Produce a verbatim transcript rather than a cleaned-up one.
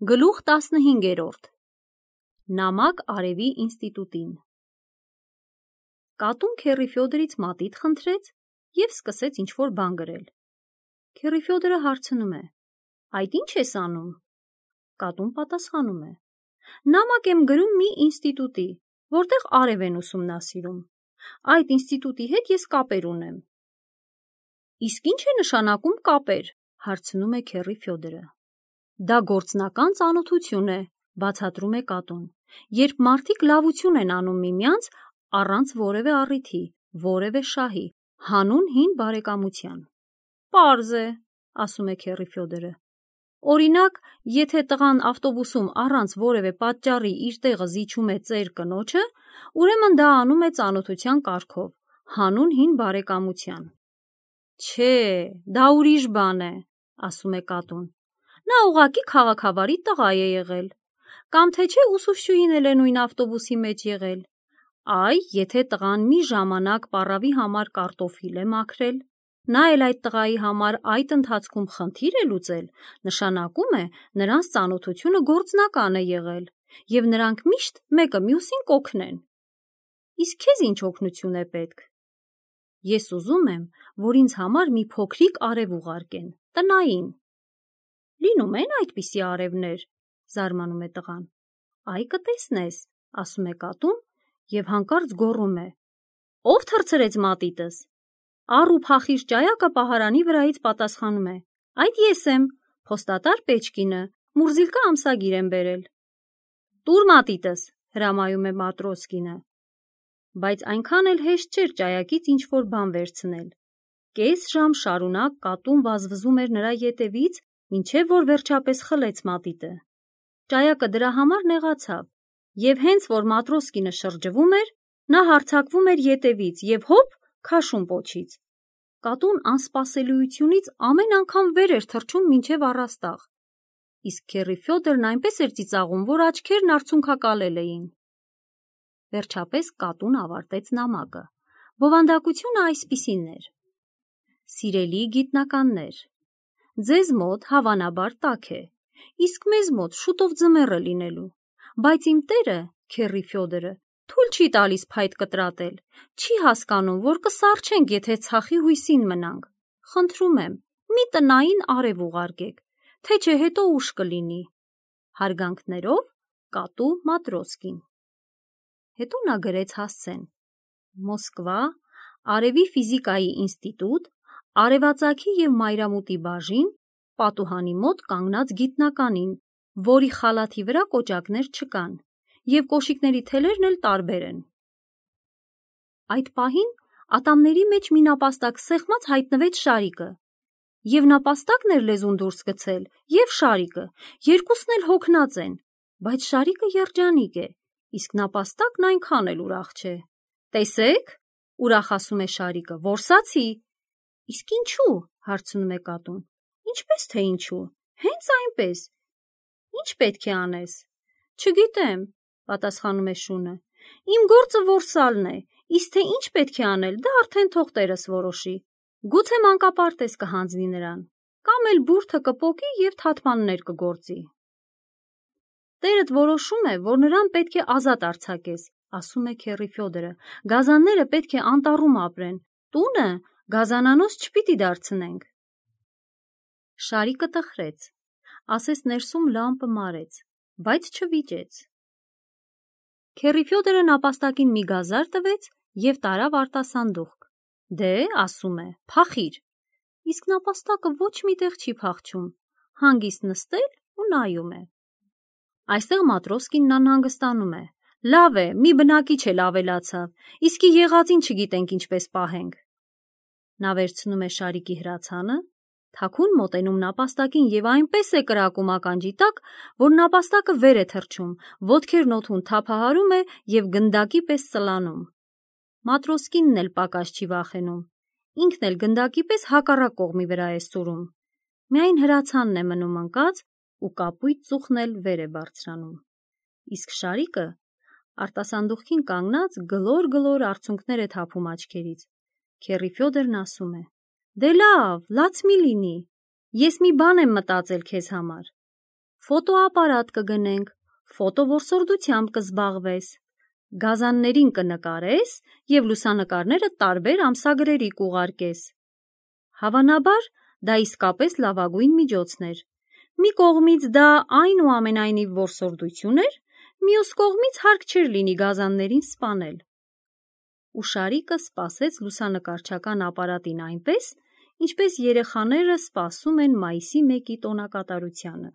Գլուխ տասնհինգերորդ Նամակ Արևի ինստիտուտին Կատուն Քեռի Ֆյոդորից մատիտ խնդրեց և սկսեց ինչ-որ բան գրել։ Քեռի Ֆյոդորը հարցնում է. «Այդ ի՞նչ ես անում»։ Կատուն պատասխանում է. «Նամակ եմ գրում մի ինստիտուտի, որտեղ արև են ուսումնասիրում։ Այդ ինստիտուտի հետ ես կապեր ունեմ»։ «Իսկ ի՞նչ է նշանակում կապեր»։ հարցնում է Քեռի Ֆյոդորը։ «Դա գործնական ծանոթություն է», բացատրում է կատուն, «երբ մարդիկ լավություն են անում միմյանց առանց որևէ առիթի, որևէ շահի, հանուն հին բարեկամության»։ «Պարզ է», ասում է Քեռի Ֆյոդորը։ «Օրինակ, եթե տղան ավտոբուսում առանց որևէ պատճառի իր տեղը զիջում է ծեր կնոջը, ուրեմն դա անում է ծանոթության կարգով, հանուն հին բարեկամության»։ «Չէ, դա ուրիշ բան է», ասում է կատուն, «նա ուղղակի քաղաքավարի տղա է եղել։ Կամ թե չէ ուսուցչուհին էլ է նույն ավտոբուսի մեջ եղել։ Այ, եթե տղան մի ժամանակ պառավի համար կարտոֆիլ է մաքրել, նա էլ այդ տղայի համար այդ ընթացքում խնդիր է լուծել, նշանակում է նրանց ծանոթությունը գործնական է եղել, և նրանք միշտ մեկը մյուսին կօգնեն։ Իսկ քեզ ինչ օգնություն է պետք»։ «Ես ուզում եմ, որ ինձ համար մի փոքրիկ արև ուղարկեն, տնային»։ «Լինում են այդպիսի արևներ», զարմանում է տղան։ «Այ կտեսնես», ասում է կատուն և հանկարծ գոռում է. «Ո՞վ թռցրեց մատիտս»։ Առ ու փախիր ճայակը պահարանի վրայից պատասխանում է. «Այդ ես եմ, փոստատար Պեչկինը, Մուրզիլկա ամսագիր եմ բերել»։ «Տուր մատիտս», հրամայում է Մատրոսկինը։ Բայց այնքան էլ հեշտ չէր ճայակից ինչ-որ բան վերցնել։ Կես ժամ շարունակ կատուն վազվզում էր նրա ետևից, մինչև որ վերջապես խլեց մատիտը։ Ճայակը դրա համար նեղացավ, և հենց որ Մատրոսկինը շրջվում էր, նա հարձակվում էր ետևից և հոպ, քաշում պոչից։ Կատուն անսպասելիությունից ամեն անգամ վեր էր թռչում մինչև առաստաղ, իսկ Քեռի Ֆյոդորն այնպես էր ծիծաղում, որ աչքերն արցունքակալել էին։ Վերջապես կատուն ավարտեց նամակը։ Բովանդակությունը այսպիսին էր. «Սիրելի գիտնականներ, ձեզ մոտ հավանաբար տաք է, իսկ մեզ մոտ շուտով ձմեռ է լինելու, բայց իմ տերը, Քեռի Ֆյոդորը, թույլ չի տալիս փայտ կտրատել, չի հասկանում, որ կսառչենք, եթե ցախի հույսին մնանք։ Խնդրում եմ, մի տնային արև ուղարկեք, թե չէ հետո ուշ կլինի։ Հարգանքներով, Կատու Մատրոսկին»։ Հետո նա գրեց հասցեն. «Մոսկվա, Արևի ֆիզիկայի ինստիտուտ, արևածագի և մայրամուտի բաժին, պատուհանի մոտ կանգնած գիտնականին, որի խալաթի վրա կոճակներ չկան, և կոշիկների թելերն էլ տարբեր են»։ Այդ պահին ատամների մեջ մի նապաստակ սեղմած հայտնվեց Շարիկը։ Եվ նապաստակն էր լեզուն դուրս գցել, և Շարիկը, երկուսն էլ հոգնած են, բայց Շարիկը երջանիկ է, իսկ նապաստակն այնքան էլ ուրախ չէ։ «Տեսե՞ք», ուրախ ասում է Շարիկը, «որսացի»։ «Իսկ ինչու»։ հարցնում է կատուն։ «Ինչպես թե ինչու, հենց այնպես»։ «Ի՞նչ պետք է անես»։ «Չգիտեմ», պատասխանում է շունը, «իմ գործը որսալն է, իսկ թե ինչ պետք է անել, դա արդեն թող տերս որոշի։ Գուցե մանկապարտեզ կհանձնի նրան, կամ էլ բուրդը կպոկի և թաթմաններ կգործի»։ «Տերդ որոշում է, որ նրան պետք է ազատ արձակես», ասում է Քեռի Ֆյոդորը, «գազանները պետք է անտառում ապրեն, տունը գազանանոց չպիտի դարձնենք»։ Շարիկը տխրեց, ասես ներսում լամպը մարեց, բայց չվիճեց։ Քեռի Ֆյոդորը նապաստակին մի գազար տվեց և տարավ արտասանդուղք։ «Դե», ասում է, «փախիր»։ Իսկ նապաստակը ոչ մի տեղ չի փախչում, հանգիստ նստել ու նայում է։ Այստեղ Մատրոսկինն անհանգստանում է. «Լավ է, մի բնակիչ էլ ավելացավ, իսկի եղածին չգիտենք ինչպես պահենք»։ Նա վերցնում է Շարիկի հրացանը, թաքուն մոտենում նապաստակին և այնպես է կրակում ականջի տակ, որ նապաստակը վեր է թռչում, ոտքերն օդում թափահարում է և գնդակի պես ծլանում։ Մատրոսկինն էլ պակաս չի վախենում, ինքն էլ գնդակի պես հակառակ կողմի վրա է սուրում։ Միայն հրացանն է մնում ընկած ու կապույտ ծուխն էլ վեր է բարձրանում։ Իսկ Շարիկը արտասանդուղքին կանգնած գլոր-գլոր արցունքներ է թափում աչքերից։ Քեռի Ֆյոդորն ասում է. «Դե լավ, լաց մի լինի, ես մի բան եմ մտածել քեզ համար»։ ֆոտոապարատ կգնենք, ֆոտովորսորդությամբ կզբաղվես, գազաններին կնկարես և լուսանկարները տարբեր ամսագրերի կուղարկես։ Հավանաբար, դա իսկապես լավագույն միջոցն էր։ Մի կողմից դա այնուամենայնիվ որսորդություն էր, մյուս կողմից հարկ չէր լինի գազաններին սպանել։ Ու Շարիկը սպասեց լուսանկարչական ապարատին այնպես, ինչպես երեխաները սպասում են մայիսի մեկի տոնակատարությանը։